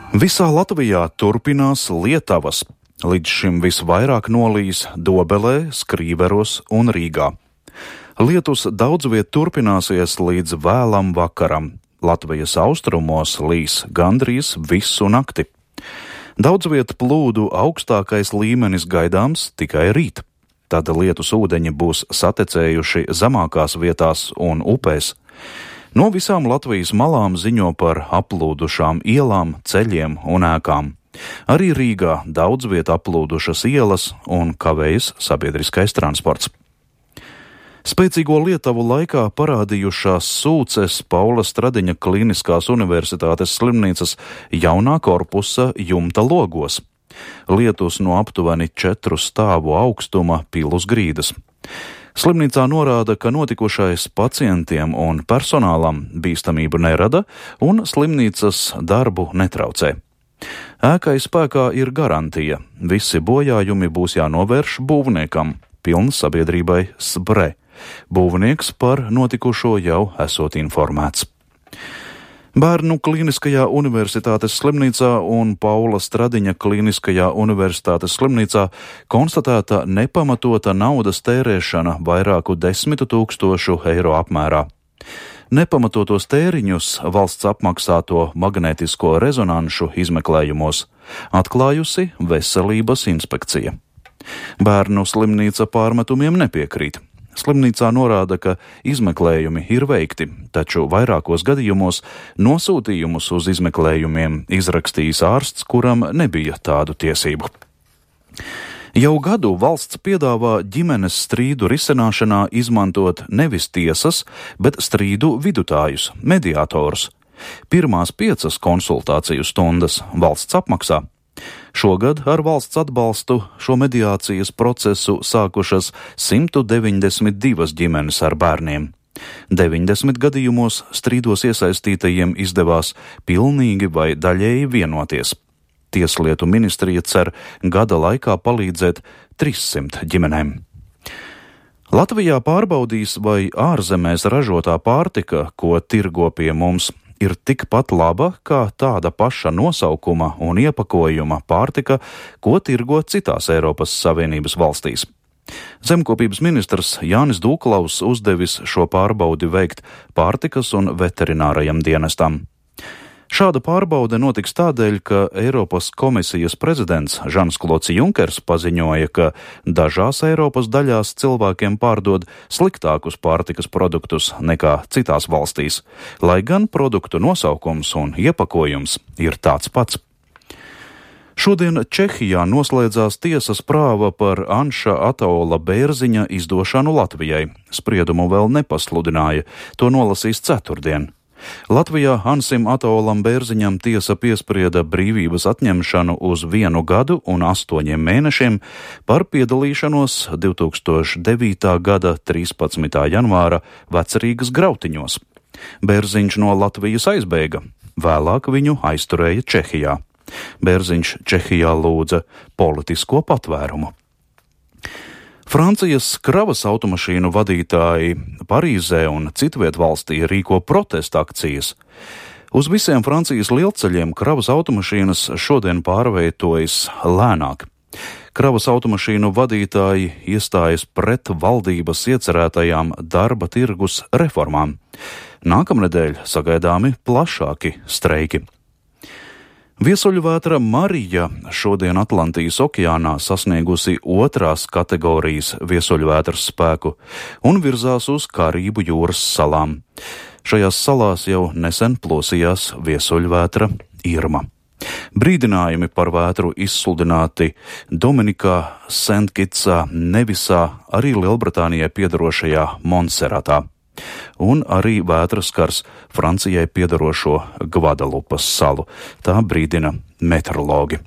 Visā Latvijā turpinās lietavas. Līdz šim visvairāk nolīs Dobelē, Skrīveros un Rīgā. Lietus daudz viet turpināsies līdz vēlam vakaram. Latvijas austrumos līs gandrīz visu nakti. Daudz viet plūdu augstākais līmenis gaidāms tikai rīt. Tad lietus ūdeņi būs satecējuši zemākās vietās un upēs. No visām Latvijas malām ziņo par aplūdušām ielām, ceļiem un ēkām. Arī Rīgā daudz viet aplūdušas ielas un kavējas sabiedriskais transports. Spēcīgo lietavu laikā parādījušās sūces Paula Stradiņa Kliniskās universitātes slimnīcas jaunā korpusa jumta logos. Lietus no aptuveni 4 stāvu augstuma pil uz grīdas. Slimnīcā norāda, ka notikušais pacientiem un personālam bīstamību nerada un slimnīcas darbu netraucē. Ēkai spēkā ir garantija. Visi bojājumi būs jānovērš būvniekam, pilns sabiedrībai SBRE. Būvnieks par notikušo jau esot informēts. Bērnu Kliniskajā universitātes slimnīcā un Paula Stradiņa Kliniskajā universitātes slimnīcā konstatēta nepamatota naudas tērēšana vairāku 10 000 eiro apmērā. Nepamatotos tēriņus valsts apmaksāto magnētisko rezonanšu izmeklējumos atklājusi Veselības inspekcija. Bērnu slimnīca pārmetumiem nepiekrīt. Slimnīcā norāda, ka izmeklējumi ir veikti, taču vairākos gadījumos nosūtījumus uz izmeklējumiem izrakstījis ārsts, kuram nebija tādu tiesību. Jau gadu valsts piedāvā ģimenes strīdu risināšanā izmantot nevis tiesas, bet strīdu vidutājus, mediātorus. Pirmās 5 konsultāciju stundas valsts apmaksā. Šogad ar valsts atbalstu šo mediācijas procesu sākušas 192 ģimenes ar bērniem. 90 gadījumos strīdos iesaistītajiem izdevās pilnīgi vai daļēji vienoties. Tieslietu ministrija cer gada laikā palīdzēt 300 ģimenēm. Latvijā pārbaudīs, vai ārzemēs ražotā pārtika, ko tirgo pie mums, ir tikpat laba kā tāda paša nosaukuma un iepakojuma pārtika, ko tirgo citās Eiropas Savienības valstīs. Zemkopības ministrs Jānis Dūklaus uzdevis šo pārbaudi veikt pārtikas un veterinārajam dienestam. Šāda pārbaude notiks tādēļ, ka Eiropas komisijas prezidents Žans-Klods Junkers paziņoja, ka dažās Eiropas daļās cilvēkiem pārdod sliktākus pārtikas produktus nekā citās valstīs, lai gan produktu nosaukums un iepakojums ir tāds pats. Šodien Čehijā noslēdzās tiesas prāva par Anša Ataola Bērziņa izdošanu Latvijai. Spriedumu vēl nepasludināja, to nolasīs ceturtdien. Latvijā Ansim Ataolam Bērziņam tiesa piesprieda brīvības atņemšanu uz 1 gadu un 8 mēnešiem par piedalīšanos 2009. gada 13. janvāra Vecrīgas grautiņos. Bērziņš no Latvijas aizbēga, vēlāk viņu aizturēja Čehijā. Bērziņš Čehijā lūdza politisko patvērumu. Francijas kravas automašīnu vadītāji Parīzē un citviet valstī rīko protesta akcijas. Uz visiem Francijas lielceļiem kravas automašīnas šodien pārvietojas lēnāk. Kravas automašīnu vadītāji iestājas pret valdības iecerētajām darba tirgus reformām. Nākamnedēļ sagaidāmi plašāki streiki. Viesuļvētra Marija šodien Atlantijas okeānā sasniegusi 2. kategorijas viesuļvētras spēku un virzās uz Karību jūras salām. Šajās salās jau nesen plosījās viesuļvētra Irma. Brīdinājumi par vētru izsludināti Dominikā, Sentkitsā, Nevisā, arī Lielbritānijai piedarošajā Montserratā. Un arī vētra skars Francijai piedarošo Gvadalupas salu. Tā brīdina meteorologi.